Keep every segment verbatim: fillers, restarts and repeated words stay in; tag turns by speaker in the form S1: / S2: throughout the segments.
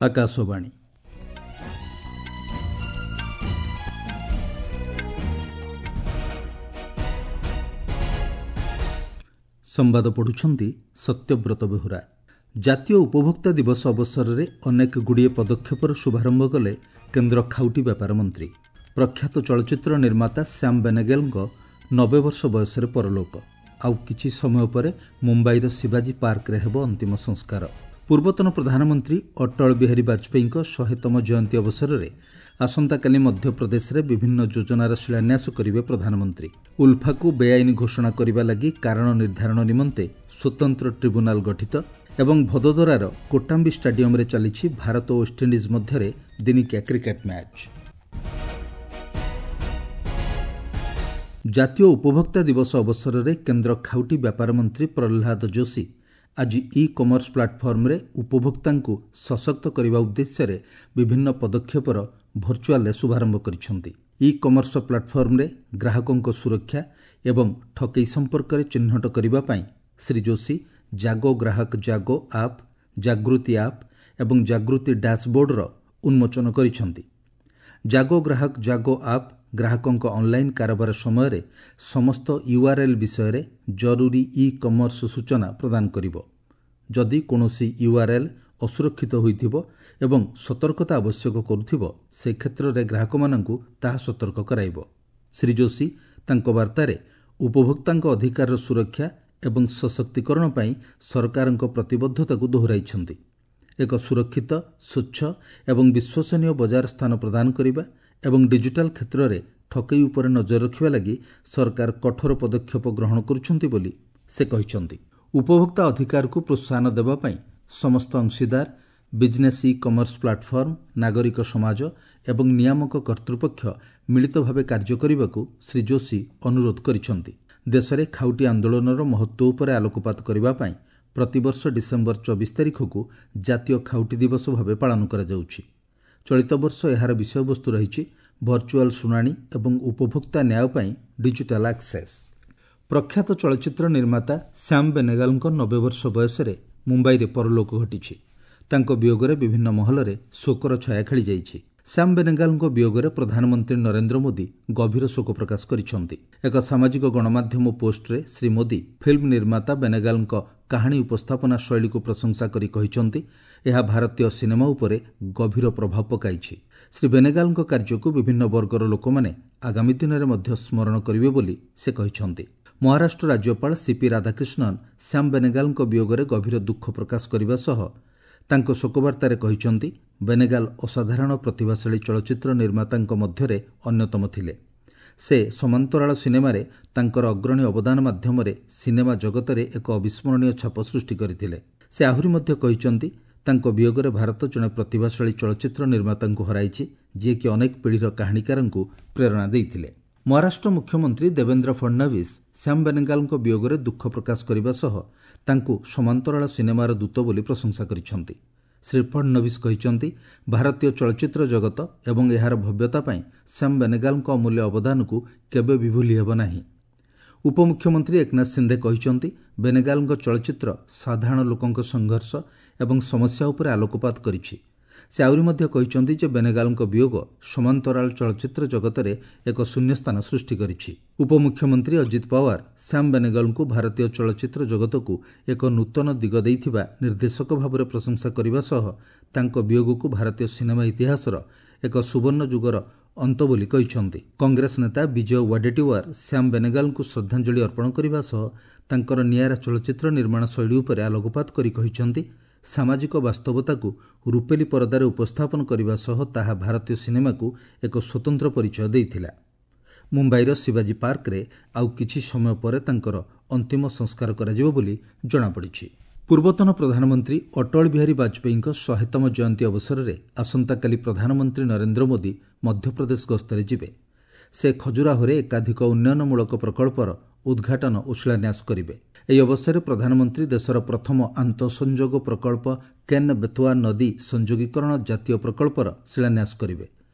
S1: ଆକାଶବାଣୀ ସମ୍ବାଦ ପଢ଼ୁଛନ୍ତି ସତ୍ୟବ୍ରତ ବେହୁରା। ଜାତୀୟ ଉପଭୋକ୍ତା ଦିବସ ଅବସରରେ ଅନେକ ଗୁଡ଼ିଏ ପଦକ୍ଷେପର ଶୁଭାରମ୍ଭ କଲେ କେନ୍ଦ୍ର ଖାଉଟି ବ୍ୟାପାର ମନ୍ତ୍ରୀ। ପ୍ରଖ୍ୟାତ ଚଳଚ୍ଚିତ୍ର ନିର୍ମାତା ଶ୍ୟାମ ବେନେଗେଲଙ୍କ ନବେ ବର୍ଷ ବୟସରେ ପରଲୋକ। ଆଉ କିଛି ସମୟ ପରେ ମୁମ୍ବାଇର ଶିବାଜୀ ପାର୍କରେ ହେବ ଅନ୍ତିମ ସଂସ୍କାର। ପୂର୍ବତନ ପ୍ରଧାନମନ୍ତ୍ରୀ ଅଟଳ ବିହାରୀ ବାଜପେୟୀଙ୍କ ଶହେତମ ଜୟନ୍ତୀ ଅବସରରେ ଆସନ୍ତାକାଲି ମଧ୍ୟପ୍ରଦେଶରେ ବିଭିନ୍ନ ଯୋଜନାର ଶିଳାନ୍ୟାସ କରିବେ ପ୍ରଧାନମନ୍ତ୍ରୀ। ଉଲ୍ଫାକୁ ବେଆଇନ ଘୋଷଣା କରିବା ଲାଗି କାରଣ ନିର୍ଦ୍ଧାରଣ ନିମନ୍ତେ ସ୍ୱତନ୍ତ୍ର ଟ୍ରିବ୍ୟୁନାଲ ଗଠିତ ଏବଂ ଭଦୋଦରାର କୋଟାମ୍ବି ଷ୍ଟାଡିୟମରେ ଚାଲିଛି ଭାରତ ଓ ୱେଷ୍ଟଇଣ୍ଡିଜ୍ ମଧ୍ୟରେ ଦିନିକିଆ କ୍ରିକେଟ୍ ମ୍ୟାଚ୍। ଜାତୀୟ ଉପଭୋକ୍ତା ଦିବସ ଅବସରରେ କେନ୍ଦ୍ର ଖାଉଟି ବ୍ୟାପାର ମନ୍ତ୍ରୀ ପ୍ରହ୍ଲାଦ ଯୋଶୀ ଆଜି ଇ କମର୍ସ ପ୍ଲାଟଫର୍ମରେ ଉପଭୋକ୍ତାଙ୍କୁ ସଶକ୍ତ କରିବା ଉଦ୍ଦେଶ୍ୟରେ ବିଭିନ୍ନ ପଦକ୍ଷେପର ଭର୍ଚୁଆଲରେ ଶୁଭାରମ୍ଭ କରିଛନ୍ତି। ଇ କମର୍ସ ପ୍ଲାଟଫର୍ମରେ ଗ୍ରାହକଙ୍କ ସୁରକ୍ଷା ଏବଂ ଠକେଇ ସମ୍ପର୍କରେ ଚିହ୍ନଟ କରିବା ପାଇଁ ଶ୍ରୀ ଯୋଶୀ ଜାଗୋ ଗ୍ରାହକ ଜାଗୋ ଆପ୍, ଜାଗୃତି ଆପ୍ ଏବଂ ଜାଗୃତି ଡ୍ୟାସବୋର୍ଡର ଉନ୍ମୋଚନ କରିଛନ୍ତି। ଜାଗୋ ଗ୍ରାହକ ଜାଗୋ ଆପ୍ ଗ୍ରାହକଙ୍କ ଅନ୍ଲାଇନ୍ କାରବାର ସମୟରେ ସମସ୍ତ ୟୁଆର୍ଏଲ୍ ବିଷୟରେ ଜରୁରୀ ଇ କମର୍ସ ସୂଚନା ପ୍ରଦାନ କରିବ। ଯଦି କୌଣସି ୟୁଆର୍ଏଲ୍ ଅସୁରକ୍ଷିତ ହୋଇଥିବ ଏବଂ ସତର୍କତା ଆବଶ୍ୟକ କରୁଥିବ, ସେ କ୍ଷେତ୍ରରେ ଗ୍ରାହକମାନଙ୍କୁ ତାହା ସତର୍କ କରାଇବ। ଶ୍ରୀ ଯୋଶୀ ତାଙ୍କ ବାର୍ତ୍ତାରେ ଉପଭୋକ୍ତାଙ୍କ ଅଧିକାରର ସୁରକ୍ଷା ଏବଂ ସଶକ୍ତିକରଣ ପାଇଁ ସରକାରଙ୍କ ପ୍ରତିବଦ୍ଧତାକୁ ଦୋହରାଇଛନ୍ତି। ଏକ ସୁରକ୍ଷିତ, ସ୍ୱଚ୍ଛ ଏବଂ ବିଶ୍ୱସନୀୟ ବଜାର ସ୍ଥାନ ପ୍ରଦାନ କରିବା ଏବଂ ଡିଜିଟାଲ କ୍ଷେତ୍ରରେ ଠକେଇ ଉପରେ ନଜର ରଖିବା ଲାଗି ସରକାର କଠୋର ପଦକ୍ଷେପ ଗ୍ରହଣ କରୁଛନ୍ତି ବୋଲି ସେ କହିଛନ୍ତି। ଉପଭୋକ୍ତା ଅଧିକାରକୁ ପ୍ରୋତ୍ସାହନ ଦେବା ପାଇଁ ସମସ୍ତ ଅଂଶୀଦାର, ବିଜନେସ୍ ଇ କମର୍ସ ପ୍ଲାଟଫର୍ମ, ନାଗରିକ ସମାଜ ଏବଂ ନିୟାମକ କର୍ତ୍ତୃପକ୍ଷ ମିଳିତ ଭାବେ କାର୍ଯ୍ୟ କରିବାକୁ ଶ୍ରୀ ଯୋଶୀ ଅନୁରୋଧ କରିଛନ୍ତି। ଦେଶରେ ଖାଉଟି ଆନ୍ଦୋଳନର ମହତ୍ତ୍ୱ ଉପରେ ଆଲୋକପାତ କରିବା ପାଇଁ ପ୍ରତିବର୍ଷ ଡିସେମ୍ବର ଚବିଶ ତାରିଖକୁ ଜାତୀୟ ଖାଉଟି ଦିବସ ଭାବେ ପାଳନ କରାଯାଉଛି। ଚଳିତ ବର୍ଷ ଏହାର ବିଷୟବସ୍ତୁ ରହିଛି ଭର୍ଚୁଆଲ ଶୁଣାଣି ଏବଂ ଉପଭୋକ୍ତା ନ୍ୟାୟ ପାଇଁ ଡିଜିଟାଲ ଆକ୍ସେସ୍। ପ୍ରଖ୍ୟାତ ଚଳଚ୍ଚିତ୍ର ନିର୍ମାତା ଶ୍ୟାମ ବେନେଗାଲଙ୍କ ନବେ ବର୍ଷ ବୟସରେ ମୁମ୍ବାଇରେ ପରଲୋକ ଘଟିଛି। ତାଙ୍କ ବିୟୋଗରେ ବିଭିନ୍ନ ମହଲରେ ଶୋକର ଛାୟା ଖେଳିଯାଇଛି। ଶ୍ୟାମ ବେନେଗାଲଙ୍କ ବିୟୋଗରେ ପ୍ରଧାନମନ୍ତ୍ରୀ ନରେନ୍ଦ୍ର ମୋଦି ଗଭୀର ଶୋକ ପ୍ରକାଶ କରିଛନ୍ତି। ଏକ ସାମାଜିକ ଗଣମାଧ୍ୟମ ପୋଷ୍ଟରେ ଶ୍ରୀ ମୋଦି ଫିଲ୍ମ ନିର୍ମାତା ବେନେଗାଲଙ୍କ କାହାଣୀ ଉପସ୍ଥାପନା ଶୈଳୀକୁ ପ୍ରଶଂସା କରି କହିଛନ୍ତି, ଏହା ଭାରତୀୟ ସିନେମା ଉପରେ ଗଭୀର ପ୍ରଭାବ ପକାଇଛି। ଶ୍ରୀ ବେନେଗାଲଙ୍କ କାର୍ଯ୍ୟକୁ ବିଭିନ୍ନ ବର୍ଗର ଲୋକମାନେ ଆଗାମୀ ଦିନରେ ମଧ୍ୟ ସ୍ମରଣ କରିବେ ବୋଲି ସେ କହିଛନ୍ତି। ମହାରାଷ୍ଟ୍ର ରାଜ୍ୟପାଳ ସିପି ରାଧାକ୍ରିଷ୍ଣନ ଶ୍ୟାମ ବେନେଗାଲଙ୍କ ବିୟୋଗରେ ଗଭୀର ଦୁଃଖ ପ୍ରକାଶ କରିବା ସହ ତାଙ୍କ ଶୋକବାର୍ତ୍ତାରେ କହିଛନ୍ତି, ବେନେଗାଲ ଅସାଧାରଣ ପ୍ରତିଭାଶାଳୀ ଚଳଚ୍ଚିତ୍ର ନିର୍ମାତାଙ୍କ ମଧ୍ୟରେ ଅନ୍ୟତମ ଥିଲେ। ସେ ସମାନ୍ତରାଳ ସିନେମାରେ ତାଙ୍କର ଅଗ୍ରଣୀ ଅବଦାନ ମାଧ୍ୟମରେ ସିନେମା ଜଗତରେ ଏକ ଅବିସ୍ମରଣୀୟ ଛାପ ସୃଷ୍ଟି କରିଥିଲେ। ସେ ଆହୁରି ମଧ୍ୟ କହିଛନ୍ତି, ତାଙ୍କ ବିୟୋଗରେ ଭାରତ ଜଣେ ପ୍ରତିଭାଶାଳୀ ଚଳଚ୍ଚିତ୍ର ନିର୍ମାତାଙ୍କୁ ହରାଇଛି, ଯିଏକି ଅନେକ ପିଢ଼ିର କାହାଣୀକାରଙ୍କୁ ପ୍ରେରଣା ଦେଇଥିଲେ। ମହାରାଷ୍ଟ୍ର ମୁଖ୍ୟମନ୍ତ୍ରୀ ଦେବେନ୍ଦ୍ର ଫଡ୍ନଭିସ୍ ଶ୍ୟାମ ବେନେଗାଲଙ୍କ ବିୟୋଗରେ ଦୁଃଖ ପ୍ରକାଶ କରିବା ସହ ତାଙ୍କୁ ସମାନ୍ତରାଳ ସିନେମାର ଦୂତ ବୋଲି ପ୍ରଶଂସା କରିଛନ୍ତି। ଶ୍ରୀ ଫଡ୍ନଭିସ୍ କହିଛନ୍ତି, ଭାରତୀୟ ଚଳଚ୍ଚିତ୍ର ଜଗତ ଏବଂ ଏହାର ଭବ୍ୟତା ପାଇଁ ଶ୍ୟାମ ବେନେଗାଲଙ୍କ ଅମୂଲ୍ୟ ଅବଦାନକୁ କେବେ ବି ଭୁଲି ହେବ ନାହିଁ। ଉପମୁଖ୍ୟମନ୍ତ୍ରୀ ଏକନାଥ ସିନ୍ଧେ କହିଛନ୍ତି, ବେନେଗାଲଙ୍କ ଚଳଚ୍ଚିତ୍ର ସାଧାରଣ ଲୋକଙ୍କ ସଂଘର୍ଷ ଏବଂ ସମସ୍ୟା ଉପରେ ଆଲୋକପାତ କରିଛି। ସେ ଆହୁରି ମଧ୍ୟ କହିଛନ୍ତି ଯେ ବେନେଗାଲଙ୍କ ବିୟୋଗ ସମାନ୍ତରାଳ ଚଳଚ୍ଚିତ୍ର ଜଗତରେ ଏକ ଶୂନ୍ୟସ୍ଥାନ ସୃଷ୍ଟି କରିଛି। ଉପମୁଖ୍ୟମନ୍ତ୍ରୀ ଅଜିତ ପାୱାର ଶ୍ୟାମ ବେନେଗାଲଙ୍କୁ ଭାରତୀୟ ଚଳଚ୍ଚିତ୍ର ଜଗତକୁ ଏକ ନୂତନ ଦିଗ ଦେଇଥିବା ନିର୍ଦ୍ଦେଶକ ଭାବରେ ପ୍ରଶଂସା କରିବା ସହ ତାଙ୍କ ବିୟୋଗକୁ ଭାରତୀୟ ସିନେମା ଇତିହାସର ଏକ ସୁବର୍ଣ୍ଣ ଯୁଗର ଅନ୍ତ ବୋଲି କହିଛନ୍ତି। କଂଗ୍ରେସ ନେତା ବିଜୟ ୱାଡେଟିୱାର ଶ୍ୟାମ ବେନେଗାଲଙ୍କୁ ଶ୍ରଦ୍ଧାଞ୍ଜଳି ଅର୍ପଣ କରିବା ସହ ତାଙ୍କର ନିଆରା ଚଳଚ୍ଚିତ୍ର ନିର୍ମାଣ ଶୈଳୀ ଉପରେ ଆଲୋକପାତ କରି କହିଛନ୍ତି, ସାମାଜିକ ବାସ୍ତବତାକୁ ରୂପେଲି ପରଦାରେ ଉପସ୍ଥାପନ କରିବା ସହ ତାହା ଭାରତୀୟ ସିନେମାକୁ ଏକ ସ୍ୱତନ୍ତ୍ର ପରିଚୟ ଦେଇଥିଲା। ମୁମ୍ବାଇର ଶିବାଜୀ ପାର୍କରେ ଆଉ କିଛି ସମୟ ପରେ ତାଙ୍କର ଅନ୍ତିମ ସଂସ୍କାର କରାଯିବ ବୋଲି ଜଣାପଡ଼ିଛି। ପୂର୍ବତନ ପ୍ରଧାନମନ୍ତ୍ରୀ ଅଟଳ ବିହାରୀ ବାଜପେୟୀଙ୍କ ଶହେତମ ଜୟନ୍ତୀ ଅବସରରେ ଆସନ୍ତାକାଲି ପ୍ରଧାନମନ୍ତ୍ରୀ ନରେନ୍ଦ୍ର ମୋଦି ମଧ୍ୟପ୍ରଦେଶ ଗସ୍ତରେ ଯିବେ। ସେ ଖଜୁରାହୋରେ ଏକାଧିକ ଉନ୍ନୟନମୂଳକ ପ୍ରକଳ୍ପର ଉଦ୍ଘାଟନ ଓ ଶିଳାନ୍ୟାସ କରିବେ। ଏହି ଅବସରରେ ପ୍ରଧାନମନ୍ତ୍ରୀ ଦେଶର ପ୍ରଥମ ଆନ୍ତଃସଂଯୋଗ ପ୍ରକଳ୍ପ କେନ୍ ବେତୱା ନଦୀ ସଂଯୋଗୀକରଣ ଜାତୀୟ ପ୍ରକଳ୍ପର ଶିଳାନ୍ୟାସ କରିବେ।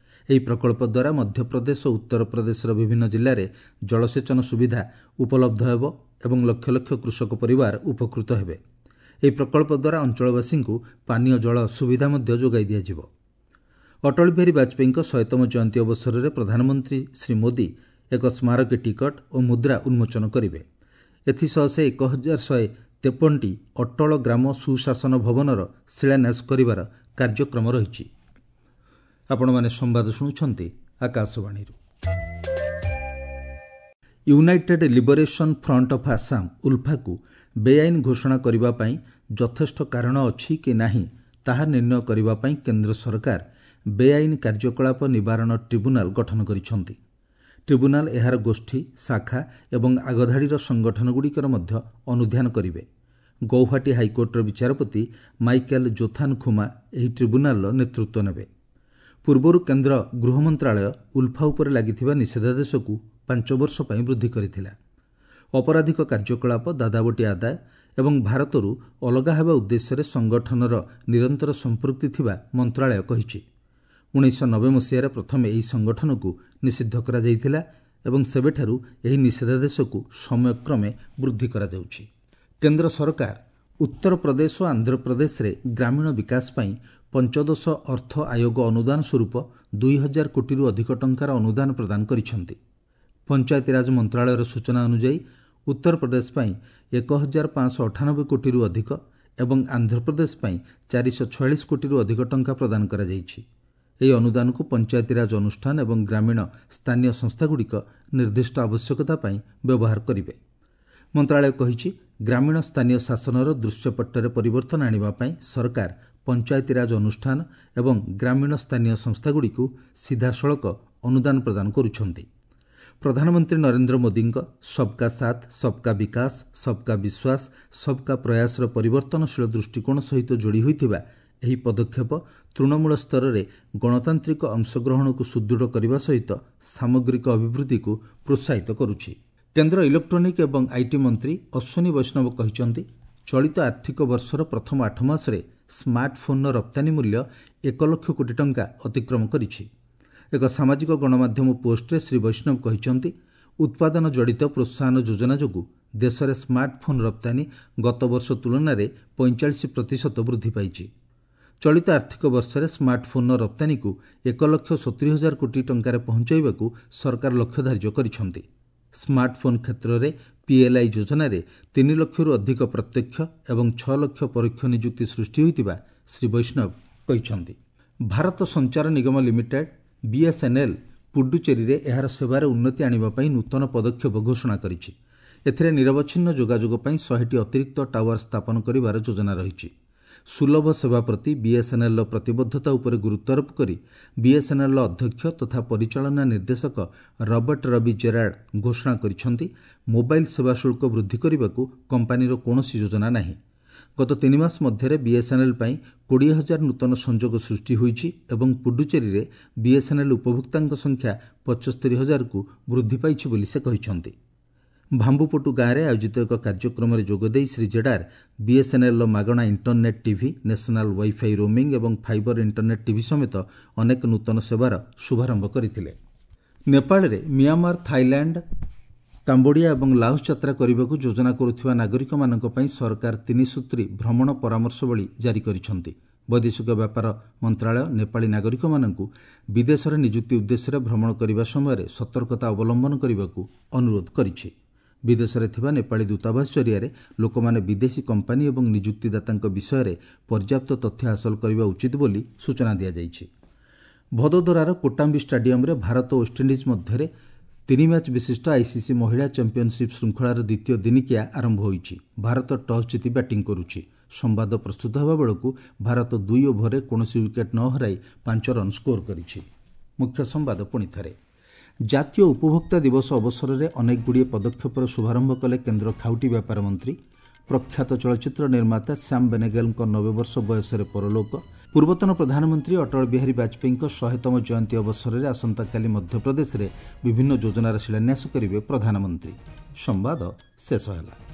S1: ଏହି ପ୍ରକଳ୍ପ ଦ୍ୱାରା ମଧ୍ୟପ୍ରଦେଶ ଓ ଉତ୍ତରପ୍ରଦେଶର ବିଭିନ୍ନ ଜିଲ୍ଲାରେ ଜଳସେଚନ ସୁବିଧା ଉପଲବ୍ଧ ହେବ ଏବଂ ଲକ୍ଷ ଲକ୍ଷ କୃଷକ ପରିବାର ଉପକୃତ ହେବେ। ଏହି ପ୍ରକଳ୍ପ ଦ୍ୱାରା ଅଞ୍ଚଳବାସୀଙ୍କୁ ପାନୀୟ ଜଳ ସୁବିଧା ମଧ୍ୟ ଯୋଗାଇ ଦିଆଯିବ। ଅଟଳ ବିହାରୀ ବାଜପେୟୀଙ୍କ ଶହେତମ ଜୟନ୍ତୀ ଅବସରରେ ପ୍ରଧାନମନ୍ତ୍ରୀ ଶ୍ରୀ ମୋଦି ଏକ ସ୍ମାରକୀ ଟିକଟ ଓ ମୁଦ୍ରା ଉନ୍ମୋଚନ କରିବେ। ଏଥିସହ ସେ ଏକ ହଜାର ଶହେ ତେପନଟି ଅଟଳ ଗ୍ରାମ ସୁଶାସନ ଭବନର ଶିଳାନ୍ୟାସ କରିବାର କାର୍ଯ୍ୟକ୍ରମ ରହିଛି। ଆପଣମାନେ ସମ୍ବାଦ ଶୁଣୁଛନ୍ତି ଆକାଶବାଣୀରୁ। United Liberation Front of Assam ଉଲ୍ଫାକୁ ବେଆଇନ ଘୋଷଣା କରିବା ପାଇଁ ଯଥେଷ୍ଟ କାରଣ ଅଛି କି ନାହିଁ ତାହା ନିର୍ଣ୍ଣୟ କରିବା ପାଇଁ କେନ୍ଦ୍ର ସରକାର ବେଆଇନ କାର୍ଯ୍ୟକଳାପ ନିବାରଣ ଟ୍ରିବ୍ୟୁନାଲ ଗଠନ କରିଛନ୍ତି। ଟ୍ରିବ୍ୟୁନାଲ ଏହାର ଗୋଷ୍ଠୀ, ଶାଖା ଏବଂ ଆଗଧାଡ଼ିର ସଂଗଠନଗୁଡ଼ିକର ମଧ୍ୟ ଅନୁଧ୍ୟାନ କରିବେ। ଗୌହାଟୀ ହାଇକୋର୍ଟର ବିଚାରପତି ମାଇକେଲ ଜୋଥାନ ଖୁମା ଏହି ଟ୍ରିବ୍ୟୁନାଲର ନେତୃତ୍ୱ ନେବେ। ପୂର୍ବରୁ କେନ୍ଦ୍ର ଗୃହ ମନ୍ତ୍ରାଳୟ ଉଲ୍ଫା ଉପରେ ଲାଗିଥିବା ନିଷେଧାଦେଶକୁ ପାଞ୍ଚ ବର୍ଷ ପାଇଁ ବୃଦ୍ଧି କରିଥିଲା। ଅପରାଧିକ କାର୍ଯ୍ୟକଳାପ, ଦାଦାବଟି ଆଦାୟ ଏବଂ ଭାରତରୁ ଅଲଗା ହେବା ଉଦ୍ଦେଶ୍ୟରେ ସଂଗଠନର ନିରନ୍ତର ସମ୍ପୃକ୍ତି ଥିବା ମନ୍ତ୍ରାଳୟ କହିଛି। ଉଣେଇଶହ ନବେ ମସିହାରେ ପ୍ରଥମେ ଏହି ସଂଗଠନକୁ ନିଷିଦ୍ଧ କରାଯାଇଥିଲା ଏବଂ ସେବେଠାରୁ ଏହି ନିଷେଧାଦେଶକୁ ସମୟକ୍ରମେ ବୃଦ୍ଧି କରାଯାଉଛି। କେନ୍ଦ୍ର ସରକାର ଉତ୍ତରପ୍ରଦେଶ ଓ ଆନ୍ଧ୍ରପ୍ରଦେଶରେ ଗ୍ରାମୀଣ ବିକାଶ ପାଇଁ ପଞ୍ଚଦଶ ଅର୍ଥ ଆୟୋଗ ଅନୁଦାନ ସ୍ୱରୂପ ଦୁଇ ହଜାର କୋଟିରୁ ଅଧିକ ଟଙ୍କାର ଅନୁଦାନ ପ୍ରଦାନ କରିଛନ୍ତି। ପଞ୍ଚାୟତିରାଜ ମନ୍ତ୍ରାଳୟର ସୂଚନା ଅନୁଯାୟୀ ଉତ୍ତରପ୍ରଦେଶ ପାଇଁ ଏକ ହଜାର ପାଞ୍ଚଶହ ଅଠାନବେ କୋଟିରୁ ଅଧିକ ଏବଂ ଆନ୍ଧ୍ରପ୍ରଦେଶ ପାଇଁ ଚାରିଶହ ଛୟାଳିଶ କୋଟିରୁ ଅଧିକ ଟଙ୍କା ପ୍ରଦାନ କରାଯାଇଛି। ଏହି ଅନୁଦାନକୁ ପଞ୍ଚାୟତିରାଜ ଅନୁଷ୍ଠାନ ଏବଂ ଗ୍ରାମୀଣ ସ୍ଥାନୀୟ ସଂସ୍ଥାଗୁଡ଼ିକ ନିର୍ଦ୍ଦିଷ୍ଟ ଆବଶ୍ୟକତା ପାଇଁ ବ୍ୟବହାର କରିବେ। ମନ୍ତ୍ରାଳୟ କହିଛି, ଗ୍ରାମୀଣ ସ୍ଥାନୀୟ ଶାସନର ଦୃଶ୍ୟପଟ୍ଟରେ ପରିବର୍ତ୍ତନ ଆଣିବା ପାଇଁ ସରକାର ପଞ୍ଚାୟତିରାଜ ଅନୁଷ୍ଠାନ ଏବଂ ଗ୍ରାମୀଣ ସ୍ଥାନୀୟ ସଂସ୍ଥାଗୁଡ଼ିକୁ ସିଧାସଳଖ ଅନୁଦାନ ପ୍ରଦାନ କରୁଛନ୍ତି। ପ୍ରଧାନମନ୍ତ୍ରୀ ନରେନ୍ଦ୍ର ମୋଦିଙ୍କ ସବକା ସାଥ, ସବକା ବିକାଶ, ସବକା ବିଶ୍ୱାସ, ସବକା ପ୍ରୟାସର ପରିବର୍ତ୍ତନଶୀଳ ଦୃଷ୍ଟିକୋଣ ସହିତ ଯୋଡ଼ି ହୋଇଥିବା ଏହି ପଦକ୍ଷେପ ତୃଣମୂଳ ସ୍ତରରେ ଗଣତାନ୍ତ୍ରିକ ଅଂଶଗ୍ରହଣକୁ ସୁଦୃଢ଼ କରିବା ସହିତ ସାମଗ୍ରିକ ଅଭିବୃଦ୍ଧିକୁ ପ୍ରୋତ୍ସାହିତ କରୁଛି। କେନ୍ଦ୍ର ଇଲେକ୍ଟ୍ରୋନିକ୍ ଏବଂ IT ମନ୍ତ୍ରୀ ଅଶ୍ୱିନୀ ବୈଷ୍ଣବ କହିଛନ୍ତି, ଚଳିତ ଆର୍ଥିକ ବର୍ଷର ପ୍ରଥମ ଆଠ ମାସରେ ସ୍ମାର୍ଟଫୋନ୍ର ରପ୍ତାନୀ ମୂଲ୍ୟ ଏକ ଲକ୍ଷ କୋଟି ଟଙ୍କା ଅତିକ୍ରମ କରିଛି। ଏକ ସାମାଜିକ ଗଣମାଧ୍ୟମ ପୋଷ୍ଟରେ ଶ୍ରୀ ବୈଷ୍ଣବ କହିଛନ୍ତି, ଉତ୍ପାଦନ ଜଡ଼ିତ ପ୍ରୋତ୍ସାହନ ଯୋଜନା ଯୋଗୁଁ ଦେଶରେ ସ୍ମାର୍ଟଫୋନ୍ ରପ୍ତାନୀ ଗତବର୍ଷ ତୁଳନାରେ ପଇଁଚାଳିଶ ପ୍ରତିଶତ ବୃଦ୍ଧି ପାଇଛି। ଚଳିତ ଆର୍ଥିକ ବର୍ଷରେ ସ୍ମାର୍ଟଫୋନ୍ର ରପ୍ତାନୀକୁ ଏକ ଲକ୍ଷ ସତୁରି ହଜାର କୋଟି ଟଙ୍କାରେ ପହଞ୍ଚାଇବାକୁ ସରକାର ଲକ୍ଷ୍ୟ ଧାର୍ଯ୍ୟ କରିଛନ୍ତି। ସ୍ମାର୍ଟଫୋନ୍ କ୍ଷେତ୍ରରେ ପିଏଲ୍ଆଇ ଯୋଜନାରେ ତିନି ଲକ୍ଷରୁ ଅଧିକ ପ୍ରତ୍ୟକ୍ଷ ଏବଂ ଛଅ ଲକ୍ଷ ପରୋକ୍ଷ ନିଯୁକ୍ତି ସୃଷ୍ଟି ହୋଇଥିବା ଶ୍ରୀ ବୈଷ୍ଣବ କହିଛନ୍ତି। ଭାରତ ସଞ୍ଚାର ନିଗମ ଲିମିଟେଡ୍ ବିଏସ୍ଏନ୍ଏଲ୍ ପୁଡୁଚେରୀରେ ଏହାର ସେବାରେ ଉନ୍ନତି ଆଣିବା ପାଇଁ ନୂତନ ପଦକ୍ଷେପ ଘୋଷଣା କରିଛି। ଏଥିରେ ନିରବଚ୍ଛିନ୍ନ ଯୋଗାଯୋଗ ପାଇଁ ଶହେଟି ଅତିରିକ୍ତ ଟାୱାର ସ୍ଥାପନ କରିବାର ଯୋଜନା ରହିଛି। ସୁଲଭ ସେବା ପ୍ରତି ବିଏସ୍ଏନ୍ଏଲ୍ର ପ୍ରତିବଦ୍ଧତା ଉପରେ ଗୁରୁତ୍ୱାରୋପ କରି ବିଏସ୍ଏନ୍ଏଲ୍ର ଅଧ୍ୟକ୍ଷ ତଥା ପରିଚାଳନା ନିର୍ଦ୍ଦେଶକ ରବର୍ଟ ରବି ଜେରାର୍ଡ ଘୋଷଣା କରିଛନ୍ତି, ମୋବାଇଲ ସେବା ଶୁଳ୍କ ବୃଦ୍ଧି କରିବାକୁ କମ୍ପାନୀର କୌଣସି ଯୋଜନା ନାହିଁ। ଗତ ତିନି ମାସ ମଧ୍ୟରେ ବିଏସ୍ଏନ୍ଏଲ୍ ପାଇଁ କୋଡ଼ିଏ ହଜାର ନୂତନ ସଂଯୋଗ ସୃଷ୍ଟି ହୋଇଛି ଏବଂ ପୁଡୁଚେରୀରେ ବିଏସ୍ଏନ୍ଏଲ୍ ଉପଭୋକ୍ତାଙ୍କ ସଂଖ୍ୟା ପଞ୍ଚସ୍ତରୀ ହଜାରକୁ ବୃଦ୍ଧି ପାଇଛି ବୋଲି ସେ କହିଛନ୍ତି। ଭାମ୍ବୁପଟୁ ଗାଁରେ ଆୟୋଜିତ ଏକ କାର୍ଯ୍ୟକ୍ରମରେ ଯୋଗଦେଇ ଶ୍ରୀ ଜେଡାର ବିଏସ୍ଏନ୍ଏଲ୍ର ମାଗଣା internet TV, national wifi roaming ଏବଂ ଫାଇବର ଇଣ୍ଟରନେଟ୍ ଟିଭି ସମେତ ଅନେକ ନୂତନ ସେବାର ଶୁଭାରମ୍ଭ କରିଥିଲେ। ନେପାଳରେ ମିଆଁମାର, ଥାଇଲାଣ୍ଡ, କାମ୍ବୋଡିଆ ଏବଂ ଲାଓସ୍ ଯାତ୍ରା କରିବାକୁ ଯୋଜନା କରୁଥିବା ନାଗରିକମାନଙ୍କ ପାଇଁ ସରକାର ତିନିସୂତ୍ରୀ ଭ୍ରମଣ ପରାମର୍ଶବଳୀ ଜାରି କରିଛନ୍ତି। ବୈଦେଶିକ ବ୍ୟାପାର ମନ୍ତ୍ରାଳୟ ନେପାଳୀ ନାଗରିକମାନଙ୍କୁ ବିଦେଶରେ ନିଯୁକ୍ତି ଉଦ୍ଦେଶ୍ୟରେ ଭ୍ରମଣ କରିବା ସମୟରେ ସତର୍କତା ଅବଲମ୍ବନ କରିବାକୁ ଅନୁରୋଧ କରିଛି। ବିଦେଶରେ ଥିବା ନେପାଳୀ ଦୂତାବାସ ଜରିଆରେ ଲୋକମାନେ ବିଦେଶୀ କମ୍ପାନୀ ଏବଂ ନିଯୁକ୍ତିଦାତାଙ୍କ ବିଷୟରେ ପର୍ଯ୍ୟାପ୍ତ ତଥ୍ୟ ହାସଲ କରିବା ଉଚିତ ବୋଲି ସୂଚନା ଦିଆଯାଇଛି। ଭଦୋଦରାର କୋଟାମ୍ବି ଷ୍ଟାଡିୟମରେ ଭାରତ ଓ ୱେଷ୍ଟଇଣ୍ଡିଜ୍ ମଧ୍ୟରେ ତିନି ମ୍ୟାଚ୍ ବିଶିଷ୍ଟ ଆଇସିସି ମହିଳା ଚାମ୍ପିଅନସିପ୍ ଶୃଙ୍ଖଳାର ଦ୍ୱିତୀୟ ଦିନିକିଆ ଆରମ୍ଭ ହୋଇଛି। ଭାରତ ଟସ୍ ଜିତି ବ୍ୟାଟିଂ କରୁଛି। ସମ୍ବାଦ ପ୍ରସ୍ତୁତ ହେବା ବେଳକୁ ଭାରତ ଦୁଇ ଓଭରରେ କୌଣସି ୱିକେଟ୍ ନ ହରାଇ ପାଞ୍ଚ ରନ୍ ସ୍କୋର କରିଛି। ମୁଖ୍ୟ ସମ୍ବାଦ ପୁଣି ଥରେ। ଜାତୀୟ ଉପଭୋକ୍ତା ଦିବସ ଅବସରରେ ଅନେକଗୁଡ଼ିଏ ପଦକ୍ଷେପର ଶୁଭାରମ୍ଭ କଲେ କେନ୍ଦ୍ର ଖାଉଟି ବ୍ୟାପାର ମନ୍ତ୍ରୀ। ପ୍ରଖ୍ୟାତ ଚଳଚ୍ଚିତ୍ର ନିର୍ମାତା ଶ୍ୟାମ ବେନେଗଲଙ୍କ ନବେ ବର୍ଷ ବୟସରେ ପରଲୋକ। ପୂର୍ବତନ ପ୍ରଧାନମନ୍ତ୍ରୀ ଅଟଳ ବିହାରୀ ବାଜପେୟୀଙ୍କ ଶହେତମ ଜୟନ୍ତୀ ଅବସରରେ ଆସନ୍ତାକାଲି ମଧ୍ୟପ୍ରଦେଶରେ ବିଭିନ୍ନ ଯୋଜନାର ଶିଳାନ୍ୟାସ କରିବେ ପ୍ରଧାନମନ୍ତ୍ରୀ। ସମ୍ବାଦ ଶେଷ ହେଲା।